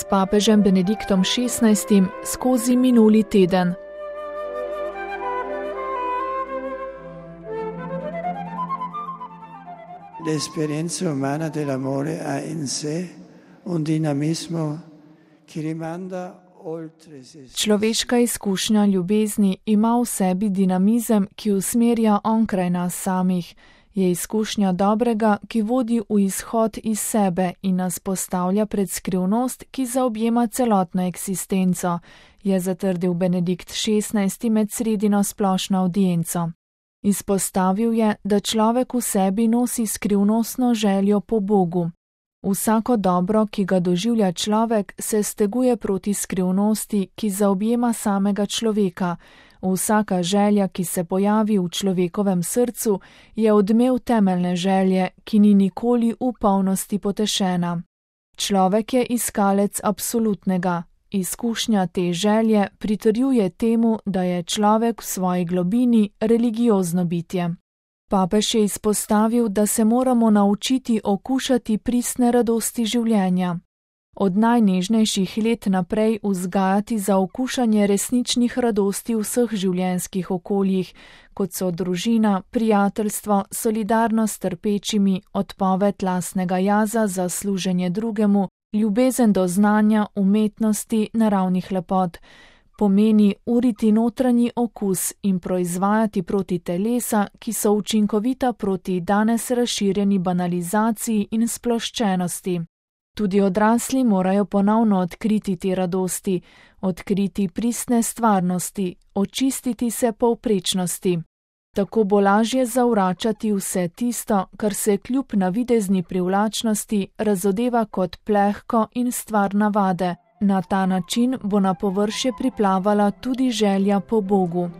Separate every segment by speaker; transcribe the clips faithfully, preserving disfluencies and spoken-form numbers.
Speaker 1: s papežem Benediktom šestnajstim skozi minuli teden.
Speaker 2: L'esperienza umana dell'amore ha in sé un dinamismo che rimanda oltre se.
Speaker 1: Človeška izkušnja ljubezni ima v sebi dinamizem, ki usmerja onkraj nas samih. Je izkušnja dobrega, ki vodi v izhod iz sebe in nas postavlja pred skrivnost, ki zaobjema celotno eksistenco, je zatrdil Benedikt šestnajsti med sredino splošno avdienco. Izpostavil je, da človek v sebi nosi skrivnostno željo po Bogu. Vsako dobro, ki ga doživlja človek, se steguje proti skrivnosti, ki zaobjema samega človeka. Vsaka želja, ki se pojavi v človekovem srcu, je odmev temeljne želje, ki ni nikoli v polnosti potešena. Človek je iskalec absolutnega. Izkušnja te želje pritrjuje temu, da je človek v svoji globini religiozno bitje. Papež je izpostavil, da se moramo naučiti okušati pristne radosti življenja. Od najnežnejših let naprej vzgajati za okušanje resničnih radosti v vseh življenjskih okoljih, kot so družina, prijateljstvo, solidarnost s trpečimi, odpoved lastnega jaza za služenje drugemu, ljubezen do znanja, umetnosti, naravnih lepot. Pomeni uriti notranji okus in proizvajati proti telesa, ki so učinkovita proti danes razširjeni banalizaciji in sploščenosti. Tudi odrasli morajo ponovno odkriti te radosti, odkriti pristne stvarnosti, očistiti se povprečnosti. Tako bo lažje zavračati vse tisto, kar se kljub navidezni privlačnosti razodeva kot plehko in stvar navade. Na ta način bo na površje priplavala tudi želja po Bogu.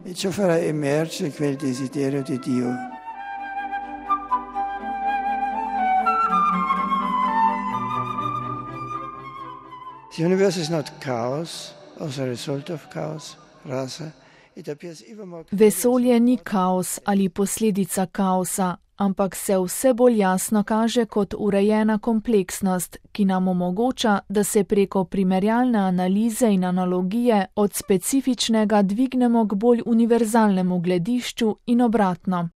Speaker 2: The universe is not chaos as a result of chaos, rather it appears even more.
Speaker 1: Vesolje ni kaos ali posledica kaosa, ampak se vse bolj jasno kaže kot urejena kompleksnost, ki nam omogoča, da se preko primerjalne analize in analogije od specifičnega dvignemo k bolj univerzalnemu gledišču in obratno.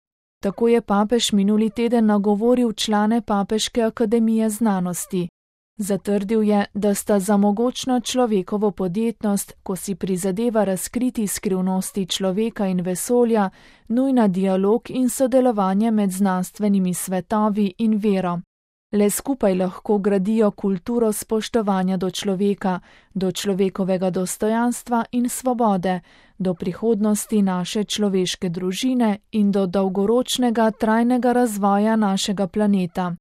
Speaker 1: Tako je papež minuli teden nagovoril člane Papeške akademije znanosti. Zatrdil je, da sta za mogočno človekovo podjetnost, ko si prizadeva razkriti skrivnosti človeka in vesolja, nujna dialog in sodelovanje med znanstvenimi svetovi in vero. Le skupaj lahko gradijo kulturo spoštovanja do človeka, do človekovega dostojanstva in svobode, do prihodnosti naše človeške družine in do dolgoročnega trajnega razvoja našega planeta.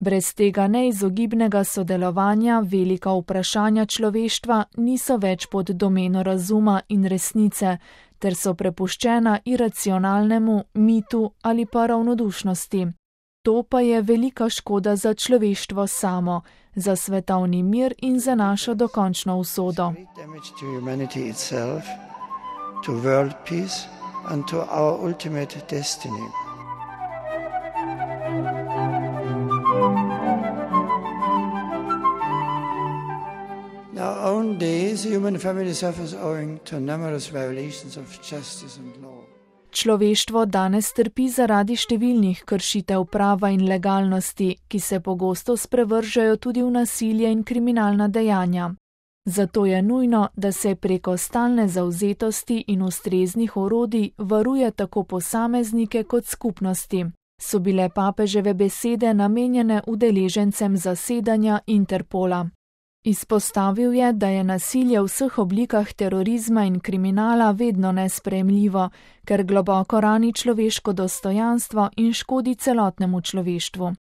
Speaker 1: Brez tega neizogibnega sodelovanja velika vprašanja človeštva niso več pod domeno razuma in resnice, ter so prepuščena iracionalnemu mitu ali pa ravnodušnosti. To pa je velika škoda za človeštvo samo, za svetovni mir in za našo dokončno usodo.
Speaker 2: In our own days, the human family suffers owing to numerous violations of justice and law.
Speaker 1: Človeštvo danes trpi zaradi številnih kršitev prava in legalnosti, ki se pogosto sprevržajo tudi v nasilje in kriminalna dejanja. Zato je nujno, da se preko stalne zavzetosti in ustreznih orodij varuje tako posameznike kot skupnosti. So bile papeževe besede namenjene udeležencem zasedanja Interpola. Izpostavil je, da je nasilje v vseh oblikah terorizma in kriminala vedno nesprejemljivo, ker globoko rani človeško dostojanstvo in škodi celotnemu človeštvu.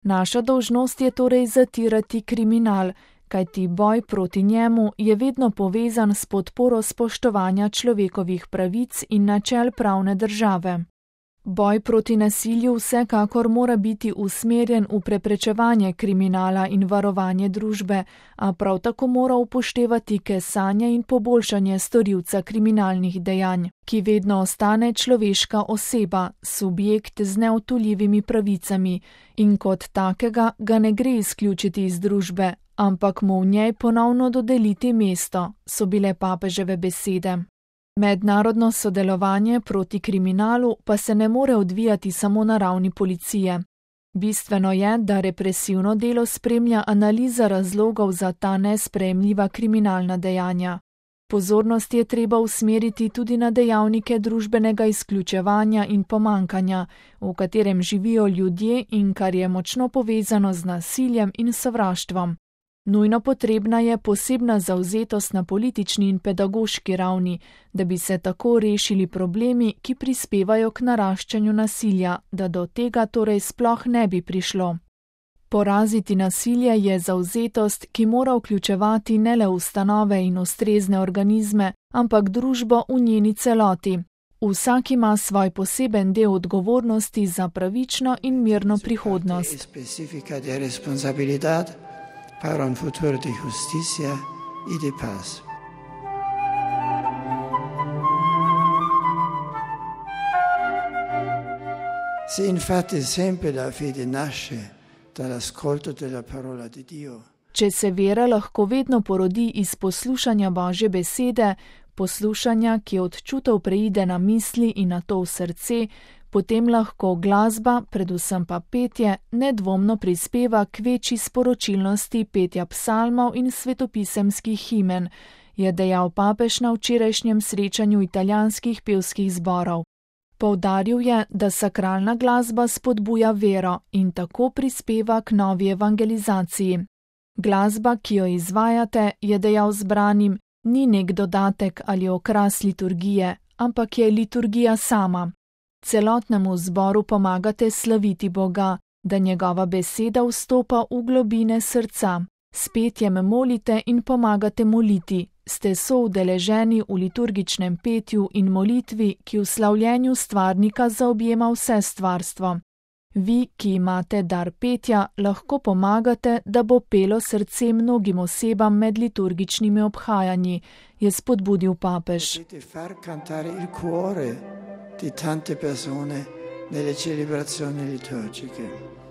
Speaker 1: Naša dolžnost je torej zatirati kriminal, kajti boj proti njemu je vedno povezan s podporo spoštovanja človekovih pravic in načel pravne države. Boj proti nasilju vsekakor mora biti usmerjen v preprečevanje kriminala in varovanje družbe, a prav tako mora upoštevati kesanje in poboljšanje storilca kriminalnih dejanj, ki vedno ostane človeška oseba, subjekt z neodtuljivimi pravicami in kot takega ga ne gre izključiti iz družbe, ampak mu v njej ponovno dodeliti mesto, so bile papeževe besede. Mednarodno sodelovanje proti kriminalu pa se ne more odvijati samo na ravni policije. Bistveno je, da represivno delo spremlja analiza razlogov za ta nesprejemljiva kriminalna dejanja. Pozornost je treba usmeriti tudi na dejavnike družbenega izključevanja in pomankanja, v katerem živijo ljudje in kar je močno povezano z nasiljem in sovraštvom. Nujno potrebna je posebna zavzetost na politični in pedagoški ravni, da bi se tako rešili problemi, ki prispevajo k naraščanju nasilja, da do tega torej sploh ne bi prišlo. Poraziti nasilje je zavzetost, ki mora vključevati ne le ustanove in ustrezne organizme, ampak družbo v njeni celoti. Vsak ima svoj poseben del odgovornosti za pravično in mirno prihodnost.
Speaker 2: Para un futuro de justicia y de paz. Se infatti sempre la fede nasce dall'ascolto della parola di Dio.
Speaker 1: Če se vera lahko vedno porodi iz poslušanja Božje besede, poslušanja, ki od čutov preide na misli in nato v srce, potem lahko glasba, predvsem pa petje, nedvomno prispeva k večji sporočilnosti petja psalmov in svetopisemskih himen, je dejal papež na včerajšnjem srečanju italijanskih pevskih zborov. Poudaril je, da sakralna glasba spodbuja vero in tako prispeva k novi evangelizaciji. Glasba, ki jo izvajate, je dejal zbranim, ni nek dodatek ali okras liturgije, ampak je liturgija sama. Celotnemu zboru pomagate slaviti Boga, da njegova beseda vstopa v globine srca. S petjem molite in pomagate moliti, ste soudeleženi v liturgičnem petju in molitvi, ki v slavljenju stvarnika zaobjema vse stvarstvo. Vi, ki imate dar petja, lahko pomagate, da bo pelo srce mnogim osebam med liturgičnimi obhajanji, je spodbudil papež.
Speaker 2: Di tante persone nelle celebrazioni liturgiche.